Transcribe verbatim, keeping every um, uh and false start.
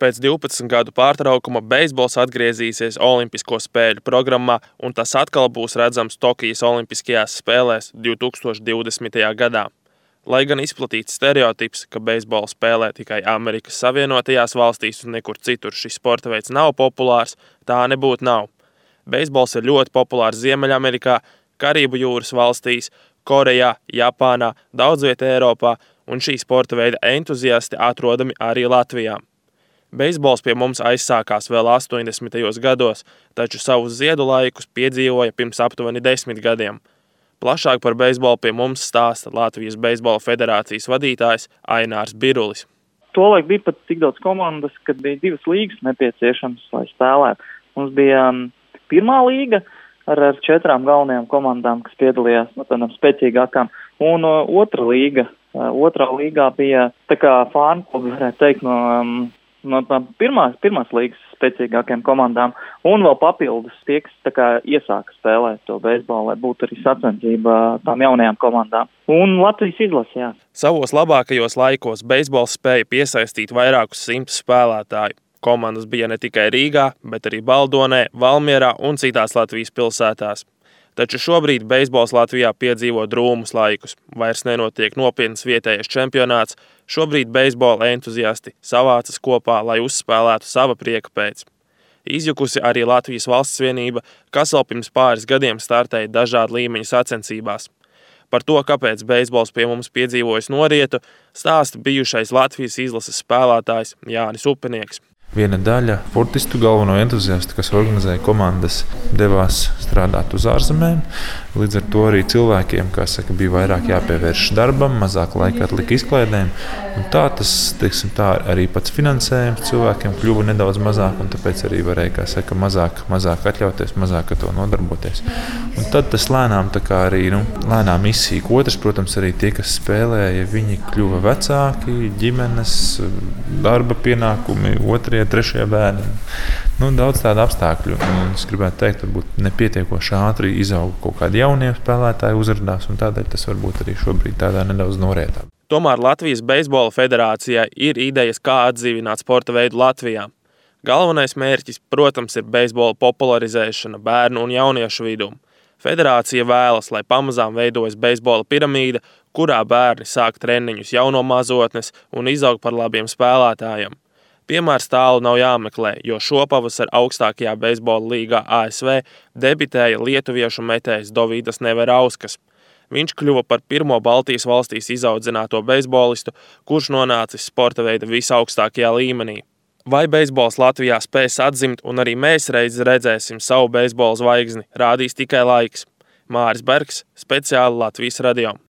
Pēc divpadsmit gadu pārtraukuma beisbols atgriezīsies Olimpisko spēļu programmā, un tas atkal būs redzams Tokijas Olimpiskajās spēlēs divtūkstoš divdesmitajā gadā. Lai gan izplatīts stereotips, ka beisbolu spēlē tikai Amerikas Savienotajās valstīs un nekur citur šis sporta veids nav populārs, tā nebūtu nav. Beisbols ir ļoti populārs Ziemeļamerikā, Karību jūras valstīs, Korejā, Japānā, daudz vietā Eiropā, un šī sporta veida entuziasti atrodami arī Latvijā. Beisbols pie mums aizsākās vēl astoņdesmitajos gados, taču savus ziedu laikus piedzīvoja pirms aptuveni desmit gadiem. Plašāk par beisbolu pie mums stāsta Latvijas Beisbola federācijas vadītājs Ainārs Birulis. Tolaik bija pat tik daudz komandas, kad bija divas līgas nepieciešams, lai spēlētu. Mums bija pirmā līga ar, ar četrām galvenajām komandām, kas piedalījās no tādām spēcīgākām, un uh, otra līga. Uh, otrā līgā bija tā kā fānu klubi, varētu teikt, no, um, no pirmās, pirmās līgas spēcīgākajām komandām, un vēl papildus tie, kas tā kā iesāka spēlēt to beisbolu, lai būtu arī sacensība tām jaunajām komandām. Un Latvijas izlase, jā. Savos labākajos laikos beisbols spēja piesaistīt vairākus simtus spēlētāju. Komandas bija ne tikai Rīgā, bet arī Baldonē, Valmierā un citās Latvijas pilsētās. Taču šobrīd beisbols Latvijā piedzīvo drūmus laikus. Vairs nenotiek nopietns vietējais čempionāts. Šobrīd beisbola entuziasti savācas kopā, lai uzspēlētu sava prieka pēc. Izjukusi arī Latvijas valsts vienība, kas vēl pirms pāris gadiem startēja dažādu līmeņu sacensībās. Par to, kāpēc beisbols pie mums piedzīvojas norietu, stāsta bijušais Latvijas izlases spēlētājs Jānis Upenieks. Viena daļa sportistu galveno entuziastu, kas organizēja komandas, devās strādāt uz ārzemēm. Līdz ar to arī cilvēkiem, kā saka, bija vairāk jāpievērš darbam, mazāk laika atlika izklaidēm. Un tā tas, teiksim, tā arī pats finansējums cilvēkiem kļuva nedaudz mazāk, un tāpēc arī varēja, kā saka, mazāk, mazāk atļauties, mazāk ar to nodarboties. Un tad tas lēnām tā kā arī, nu, lēnām izsīk. Otrs, protams, arī tie, kas spēlēja, viņi kļuva vecāki, ģimenes, darba pienākumi, otrie, trešie bērni. Nu, daudz tādu apstākļu. Un es gribētu teikt, varbūt nepietiekoši ātri izauga kaut kādi jaunie spēlētāji uzrādās, un tādēļ tas varbūt arī šobrīd tādā nedaudz norietā. Tomēr Latvijas Beisbola federācijai ir idejas, kā atdzīvināt sporta veidu Latvijā. Galvenais mērķis, protams, ir beisbola popularizēšana bērnu un jauniešu vidū. Federācija vēlas, lai pamazām veidojas beisbola piramīda, kurā bērni sāk treniņus jau no mazotnes un izaug par labiem spēlētājiem. Piemērs tālu nav jāmeklē, jo šopavasar augstākajā beisbola līgā A S V debitēja lietuviešu metējs Dovīdas Neverauskas. Viņš kļuva par pirmo Baltijas valstīs izaudzināto beisbolistu, kurš nonācis sporta veida visaugstākajā līmenī. Vai beisbols Latvijā spēs atzimt, un arī mēs reiz redzēsim savu beisbola zvaigzni, rādīs tikai laiks. Māris Bergs, speciāli Latvijas radio.